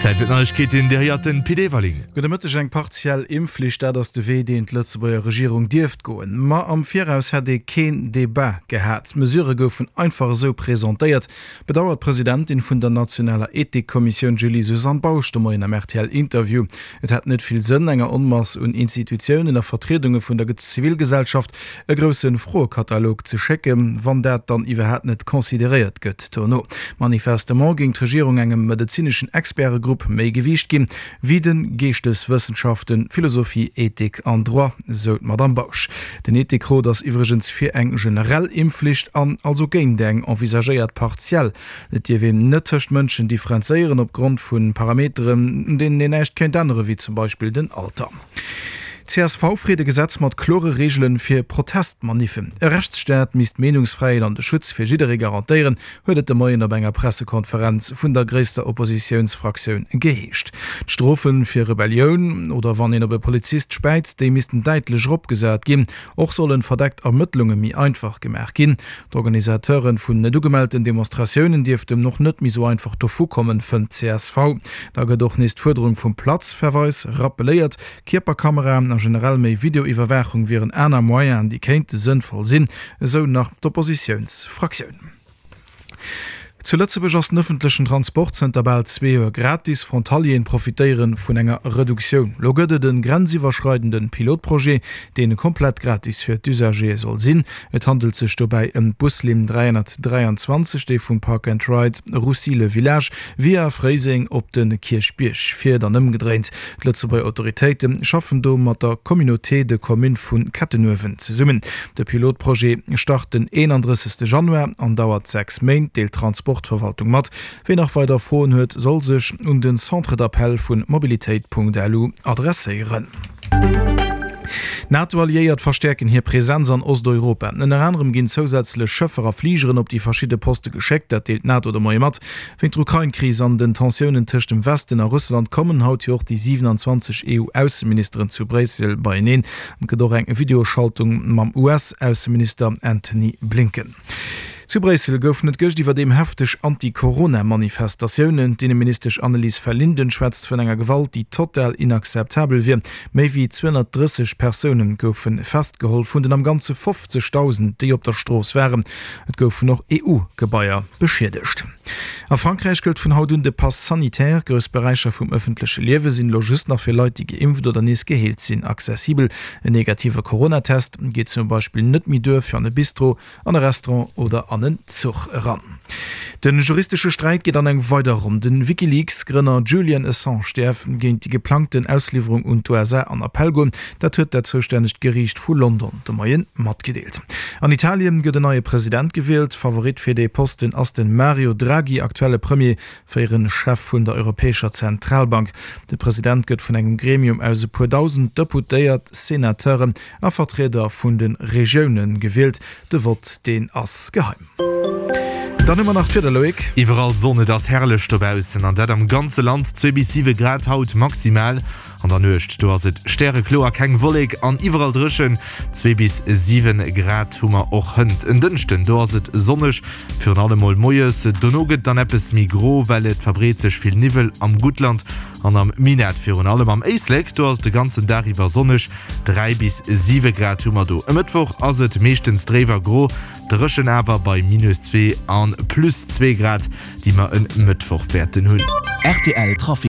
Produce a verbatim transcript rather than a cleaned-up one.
Zäit fir d'Neiegkeeten, Dir héiert den Pit Everling. Gudde Mëtteg, Eng partiell Impfflicht, dat ass de Wee, deen d'Lëtzebuerger Regierung dierft goen. Ma am Viraus hätt ee keen Debat gehat. D'Mesurë goufen einfach esou presentéiert, bedauert d'Presidentin vun der nationaler Ethikkommissioun Julie-Suzanne Bausch de Moien am R T L-Interview. Et hätt net vill Sënn, enger Onmass un Institutiounen a Vertriedunge vun der Zivilgesellschaft e grousse Froekatalog ze schécken, wann dat dann iwwerhaapt net consideréiert gëtt dono. Manifestement géing d'Regierung engem medezineschen Expertegrupp méi Gewiicht ginn, wéi de Geeschteswëssenschaften, Philosophie, Ethik an Droit, sou d'Madamm Bausch. Den Ethikrot ass iwwregens fir eng generell Impfflicht an also géint eng envisagéiert partiell. Et dierf een net tëscht Mënschen differenzéieren opgrond vu Parameteren, un deenen een näischt kéint änneren, wéi zum Beispill den Alter. C S V freet e Gesetz mat klore Reegele fir Protestmaniffen. E Rechtsstaat misst d'Meenungsfräiheet an de Schutz fir jidderee garantéieren, huet et de Moien op enger Pressekonferenz vun der gréisster Oppositiounsfraktioun geheescht. D'Strofe fir Rebellioun oder wann een op e Polizist späizt, déi missten däitlech eropgesat ginn. Och sollen verdeckt Ermëttlunge méi einfach gemaach ginn. D'Organisateure vun net ugemellten Demonstratiounen dierften och net méi sou einfach dovu kommen, fënnt d'C S V. Da gëtt och nees d'Fuerderung vum Platzverweis rappeléiert. Kierperkameraen a generell méi Videoiwwerwaachung wieren aner Moyenen, déi kéinte sënnvoll sinn, esou nach d'Oppositiounsfraktioun. Zu Lëtzebuerg ass den ëffentlechen Transport zënter bal zwee Joer gratis. Frontalieren profitéiere vun enger Reduktioun. Lo gëtt et e grenziwwerschreidende Pilotprojet, deen komplett gratis fir d'Usagéë soll sinn. Et handelt sech dobäi ëm d'Buslinn dräihonnertdräianzwanzeg, déi vum Park and Ride Roussy-le-Village via Fréiseng op de Kierchbierg fiert an ëmgedréint. D'Lëtzebuerger Autoritéite schaffen do mat der Communauté de communes vu Kettenuewen zesummen. De Pilotprojet start den eenandrëssegste Januar an dauert sechs Méint, deelt d'Transportverwaltung mat. Wien nach weider Froen huet, soll sech un den Centre d'appel vun mobilitéit Punkt L U adresséieren. D'Nato-Alliéiert verstäerken hir Presenz an Osteuropa. Ënner anerem ginn zousätzlech Schëffer a Fligeren op déi verschidde Poste geschéckt, dat deelt d'Nato de Moie mat. Wéint der Ukrain-Kris an den Tensiounen tëscht dem Westen a Russland kommen haut jo och déi siewenanzwanzeg E U-Ausseministeren zu Bréissel beieneen. Et gëtt och eng Videoschaltung mam U S-Ausseminister Antony Blinken. Zu Bréissel goufen et gëscht iwwerdeem hefteg Anti-Corona-Manifestatiounen. D'Inneministesch Annelies Verlinden schwätzt vun enger Gewalt, déi total inakzeptabel wier. Méi wéi zweehonnertdrësseg Persoune goufe festgeholl, vun den am Ganze fofzegdausend, déi op der Strooss waren. Et goufen och E U-Gebaier beschiedegt. A Frankräich gëllt vun haut un de Pass sanitaire. Grouss Beräicher vum ëffentleche Liewe sinn elo just nach fir Leit, déi geimpft oder nees geheelt sinn, accessibel. En negative Coronatest geet zum Beispill net méi duer fir an e Bistro, an e Restaurant oder an en Zuch eran. Den juristesche Sträit geet an eng weider Ronn. Den WikiLeaks-Grënner Julian Assange däerf géint déi geplangten Ausliwwerung un d'U S A an Appell goen. Dat huet dat zoustännegt Geriicht vu London de Moien matgedeelt. An Italien gëtt en neie President gewielt. Favorit fir dee Posten ass den Mario Draghi, aktuelle Premier, fréiere Chef vun der Europäescher Zentralbank. De President gëtt vun engem Gremium aus e puer dausend Deputéiert, Senateuren a Vertrieder vun de Regioune gewielt. De Vott, deen ass geheim. Dann hu mer nach d'Wieder, Loïc. Iwwerall Sonn, et ass herrlech dobaussen an dat am ganze Land. Zwee bis siwe Grad haut maximal. An der Nuecht, do ass et stärekloer, keng Wollek an iwwerall dréchen. Zwee bis siwe Grad hu mer och hënt. En Dënschden, do ass et sonneg, virun allem mol moies. Dono gëtt dann eppes méi gro, well et verbreet sech vill Niwwel am Guttland an am Minett. Virun allem am Éislek, do ass et de ganzen Dag iwwer sonneg. Dräi bis siwe Grad hu mer do. E Mëttwoch ass et meeschtens dréif a gro, dréchen awer bei minus zwee a plus zwee Grad, déi mer e Mëttwoch wäerten hunn. R T L Trafic.